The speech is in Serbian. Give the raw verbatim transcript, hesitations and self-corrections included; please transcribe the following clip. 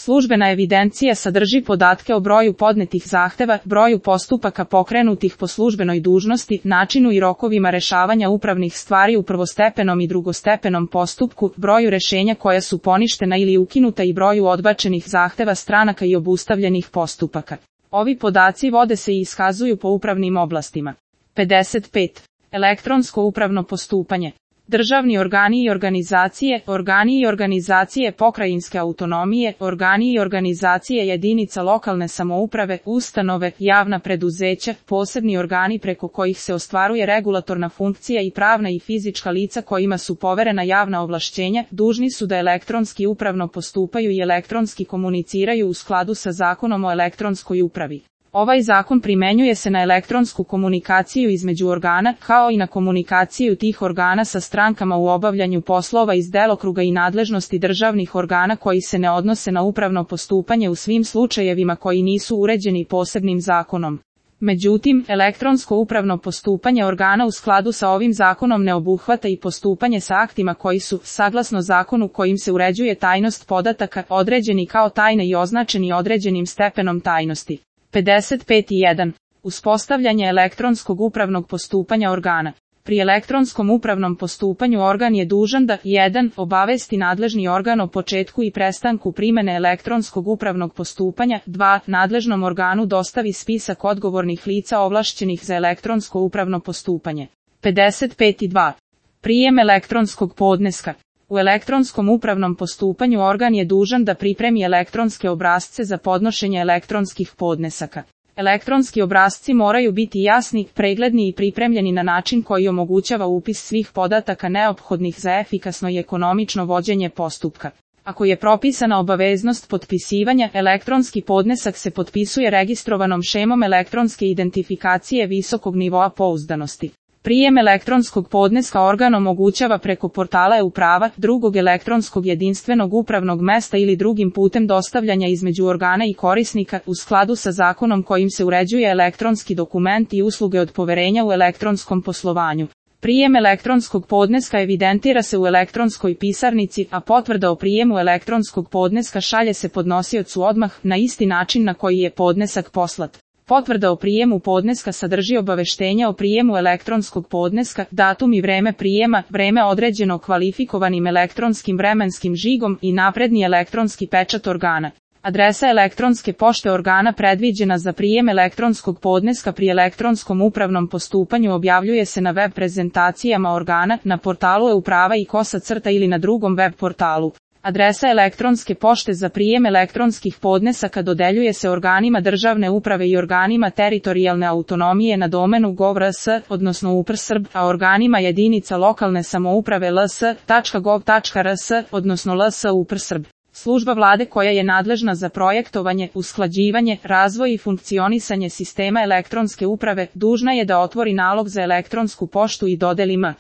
Službena evidencija sadrži podatke o broju podnetih zahteva, broju postupaka pokrenutih po službenoj dužnosti, načinu i rokovima rešavanja upravnih stvari u prvostepenom i drugostepenom postupku, broju rešenja koja su poništena ili ukinuta i broju odbačenih zahteva stranaka i obustavljenih postupaka. Ovi podaci vode se i iskazuju po upravnim oblastima. pedeset pet. Elektronsko upravno postupanje. Državni organi i organizacije, organi i organizacije pokrajinske autonomije, organi i organizacije jedinica lokalne samouprave, ustanove, javna preduzeća, posebni organi preko kojih se ostvaruje regulatorna funkcija i pravna i fizička lica kojima su poverena javna ovlašćenja, dužni su da elektronski upravno postupaju i elektronski komuniciraju u skladu sa Zakonom o elektronskoj upravi. Ovaj zakon primenjuje se na elektronsku komunikaciju između organa, kao i na komunikaciju tih organa sa strankama u obavljanju poslova iz delokruga i nadležnosti državnih organa koji se ne odnose na upravno postupanje u svim slučajevima koji nisu uređeni posebnim zakonom. Međutim, elektronsko upravno postupanje organa u skladu sa ovim zakonom ne obuhvata i postupanje sa aktima koji su, saglasno zakonu kojim se uređuje tajnost podataka, određeni kao tajne i označeni određenim stepenom tajnosti. pedeset pet i jedan. Uspostavljanje elektronskog upravnog postupanja organa. Pri elektronskom upravnom postupanju organ je dužan da jedan. Obavesti nadležni organ o početku i prestanku primene elektronskog upravnog postupanja, dva. Nadležnom organu dostavi spisak odgovornih lica ovlašćenih za elektronsko upravno postupanje. pedeset pet i dva. Prijem elektronskog podneska. U elektronskom upravnom postupanju organ je dužan da pripremi elektronske obrasce za podnošenje elektronskih podnesaka. Elektronski obrasci moraju biti jasni, pregledni i pripremljeni na način koji omogućava upis svih podataka neophodnih za efikasno i ekonomično vođenje postupka. Ako je propisana obaveznost potpisivanja, elektronski podnesak se potpisuje registrovanom šemom elektronske identifikacije visokog nivoa pouzdanosti. Prijem elektronskog podneska organ omogućava preko portala e-uprava, drugog elektronskog jedinstvenog upravnog mesta ili drugim putem dostavljanja između organa i korisnika u skladu sa zakonom kojim se uređuje elektronski dokument i usluge od poverenja u elektronskom poslovanju. Prijem elektronskog podneska evidentira se u elektronskoj pisarnici, a potvrda o prijemu elektronskog podneska šalje se podnosiocu odmah na isti način na koji je podnesak poslat. Potvrda o prijemu podneska sadrži obaveštenja o prijemu elektronskog podneska, datum i vreme prijema, vreme određeno kvalifikovanim elektronskim vremenskim žigom i napredni elektronski pečat organa. Adresa elektronske pošte organa predviđena za prijem elektronskog podneska pri elektronskom upravnom postupanju objavljuje se na web prezentacijama organa, na portalu e-uprava i kosa crta ili na drugom web portalu. Adresa elektronske pošte za prijem elektronskih podnesaka dodeljuje se organima državne uprave i organima teritorijalne autonomije na domenu gov tačka rs, odnosno upr srb, a organima jedinica lokalne samouprave ls tačka gov tačka rs, odnosno ls upr srb. Služba vlade koja je nadležna za projektovanje, usklađivanje, razvoj i funkcionisanje sistema elektronske uprave, dužna je da otvori nalog za elektronsku poštu i dodeli m.